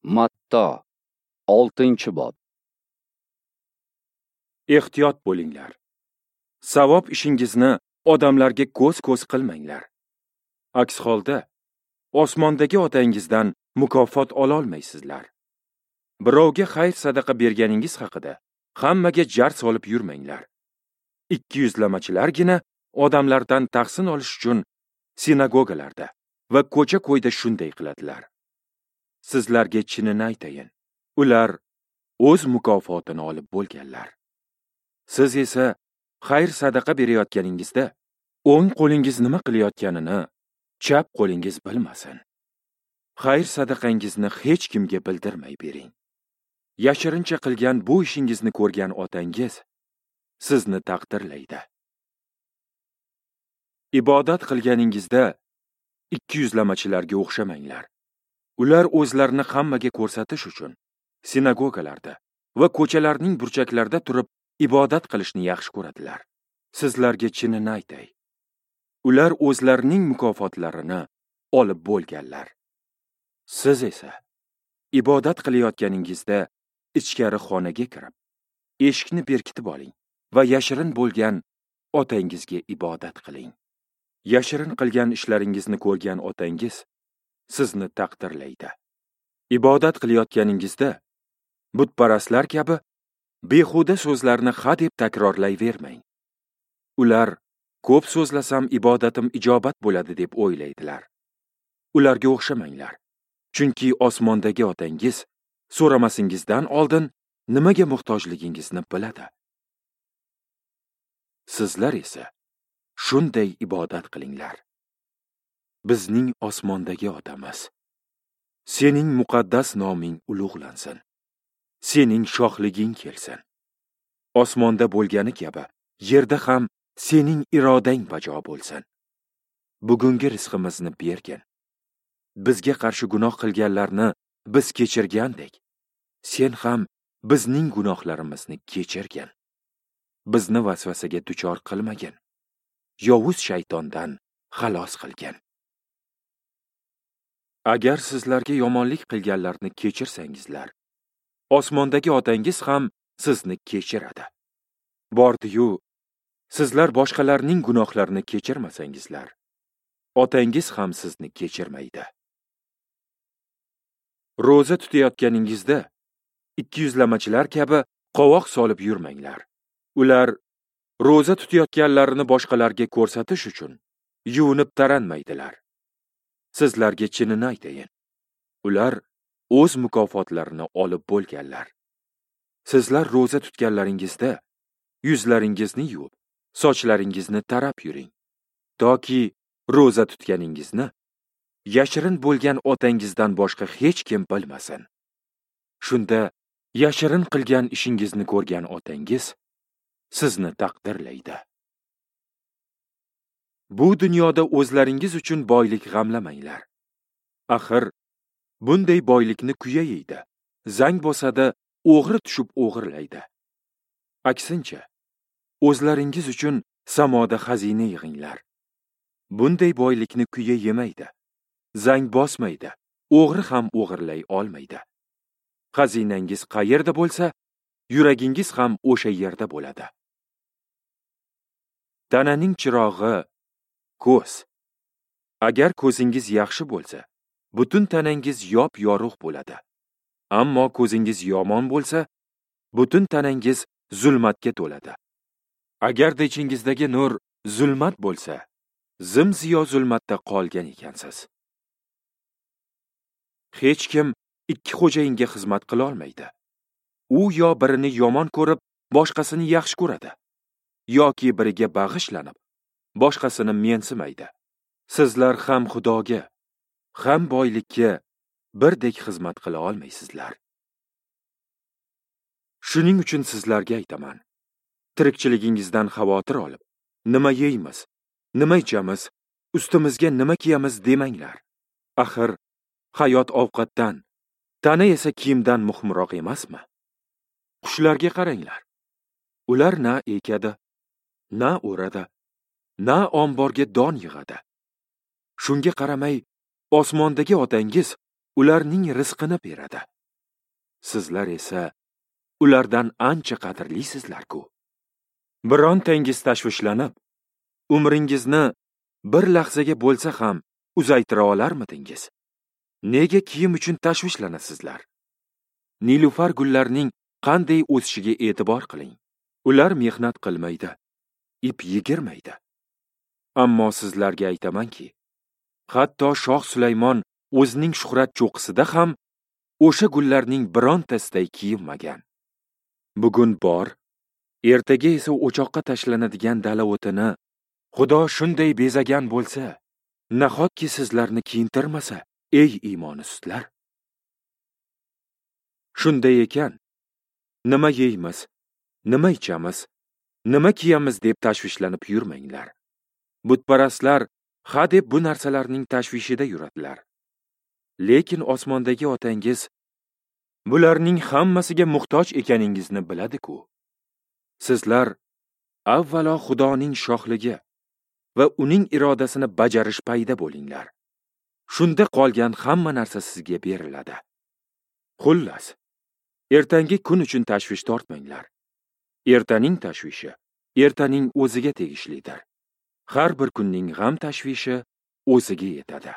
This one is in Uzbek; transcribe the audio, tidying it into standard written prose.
Matto 6-bob. Ehtiyot bo'linglar. Savob ishingizni odamlarga ko'z-ko'z qilmanglar. Aks holda osmondagi otangizdan mukofot ola olmaysizlar. Birovga xayr sadaqa berganingiz haqida hammaga jar solib yurmanglar. Ikkiyuzlamachilargina odamlardan tahsin olish uchun sinagogalarda va ko'cha-ko'yda shunday qiladilar. Sizlarga chinini aytayin, ular o'z mukofotini olib bo'lganlar. Siz esa xayr sadaqa berayotganingizda o'ng qo'lingiz nima qilayotganini chap qo'lingiz bilmasin. Xayr sadaqangizni hech kimga bildirmay bering. Yashirincha qilgan bu ishingizni ko'rgan otangiz sizni taqdirlaydi. Ibodat qilganingizda ikkiyuzlamachilarga o'xshamanglar. Ular o'zlarini hammaga ko'rsatish uchun sinagogalarda va ko'chalarning burchaklarida turib ibodat qilishni yaxshi ko'radilar. Sizlarga chinini aytay, ular o'zlarining mukofotlarini olib bo'lganlar. Siz esa ibodat qilayotganingizda ichkari xonaga kirib, eshikni berkitib oling va yashirin bo'lgan otangizga ibodat qiling. Yashirin qilgan ishlaringizni ko'rgan otangiz sizni taqdirlaydi. Ibodat qilayotganingizda butparastlar kabi behuda so'zlarni ha deb takrorlayvermang. Ular ko'p so'zlasam ibodatim ijobat bo'ladi deb o'ylaydilar. Ularga o'xshamanglar. Chunki osmondagi otangiz so'ramasingizdan oldin nimaga muhtojligingizni biladi. Sizlar esa shunday ibodat qilinglar. Bizning osmondagi otamiz, sening muqaddas noming ulug'lansin. Sening shohliging kelsin. Osmonda bo'lgani kabi yerda ham sening irodang bajo bo'lsin. Bugungi rizqimizni bergin. Bizga qarshi gunoh qilganlarni biz kechirgandek, sen ham bizning gunohlarimizni kechirgin. Bizni vasvasaga duchor qilmagin. Yovuz shaytondan xalos qilgin. Agar sizlarga yomonlik qilganlarni kechirsangizlar, osmondagi otangiz ham sizni kechiradi. Bordi-yu, sizlar boshqalarning gunohlarini kechirmasangizlar, otangiz ham sizni kechirmaydi. Ro'za tutayotganingizda ikkiyuzlamachilar kabi qovoq solib yurmanglar. Ular ro'za tutayotganlarini boshqalarga ko'rsatish uchun yuvinib taranmaydilar. Sizlarga chinini aytayin, ular o'z mukofotlarini olib bo'lganlar. Sizlar ro'za tutganlaringizda yuzlaringizni yuvib, sochlaringizni tarab yuring, toki ro'za tutganingizni yashirin bo'lgan otangizdan boshqa hech kim bilmasin. Shunda yashirin qilgan ishingizni ko'rgan otangiz sizni taqdirlaydi. Bu dunyoda o'zlaringiz uchun boylik g'amlamanglar. Axir bunday boylikni kuya yeydi, zang bosadi, o'g'ri tushib o'g'irlaydi. Aksincha, o'zlaringiz uchun samoda xazina yig'inglar. Bunday boylikni kuya yemaydi, zang bosmaydi, o'g'ri ham o'g'irlay olmaydi. Xazinangiz qayerda bo'lsa, yuragingiz ham o'sha yerda bo'ladi. Tananing chirog'i ko'z. Agar ko'zingiz yaxshi bo'lsa, butun tanangiz yop-yorug' bo'ladi. Ammo ko'zingiz yomon bo'lsa, butun tanangiz zulmatga to'ladi. Agarda ichingizdagi nur zulmat bo'lsa, zim-ziyo zulmatda qolgan ekansiz. Hech kim ikki xo'jayinga xizmat qila olmaydi. U yo birini yomon ko'rib, boshqasini yaxshi ko'radi, yoki biriga bag'ishlanib, boshqasini mensimaydi. Sizlar ham Xudoga, ham boylikka birdek xizmat qila olmaysizlar. Shuning uchun sizlarga aytaman, tirikchiligingizdan xavotir olib, nima yeymiz, nima ichamiz, ustimizga nima kiyamiz demanglar. Axir hayot ovqatdan, tana esa kiyimdan muhimroq emasmi? Qushlarga qaranglar. Ular na ekadi, na o'radi, na omborga don yig'adi. Shunga qaramay osmondagi otangiz ularning rizqini beradi. Sizlar esa ulardan ancha qadrlisizlar-ku. Birontangiz tashvishlanib, umringizni bir lahzaga bo'lsa ham uzaytira olarmidingiz? Nega kiyim uchun tashvishlanasizlar? Nilufar gullarining qanday o'sishiga e'tibor qiling. Ular mehnat qilmaydi, ip yigirmaydi. Ammo sizlarga aytamanki, hatto Shoh Sulaymon o'zining shuhrat cho'qqisida ham o'sha gullarning birontasiday kiyinmagan. Bugun bor, ertaga esa o'choqqa tashlanadigan dala o'tini Xudo shunday bezagan bo'lsa, nahotki sizlarni kiyintirmasa, ey iymoni sustlar? Shunday ekan, nima yeymiz, nima ichamiz, nima kiyamiz deb tashvishlanib yurmanglar. Butparastlar ha deb bu narsalarning tashvishida yuradilar. Lekin osmondagi otangiz bularning hammasiga muhtoj ekaningizni biladi-ku. Sizlar avvalo Xudoning shohligi va uning irodasini bajarish payida bo'linglar. Shunda qolgan hamma narsa sizga beriladi. Xullas, ertangi kun uchun tashvish tortmanglar. Ertaning tashvishi ertaning o'ziga tegishlidir. Har bir kunning g'am tashvishi o'ziga yetadi.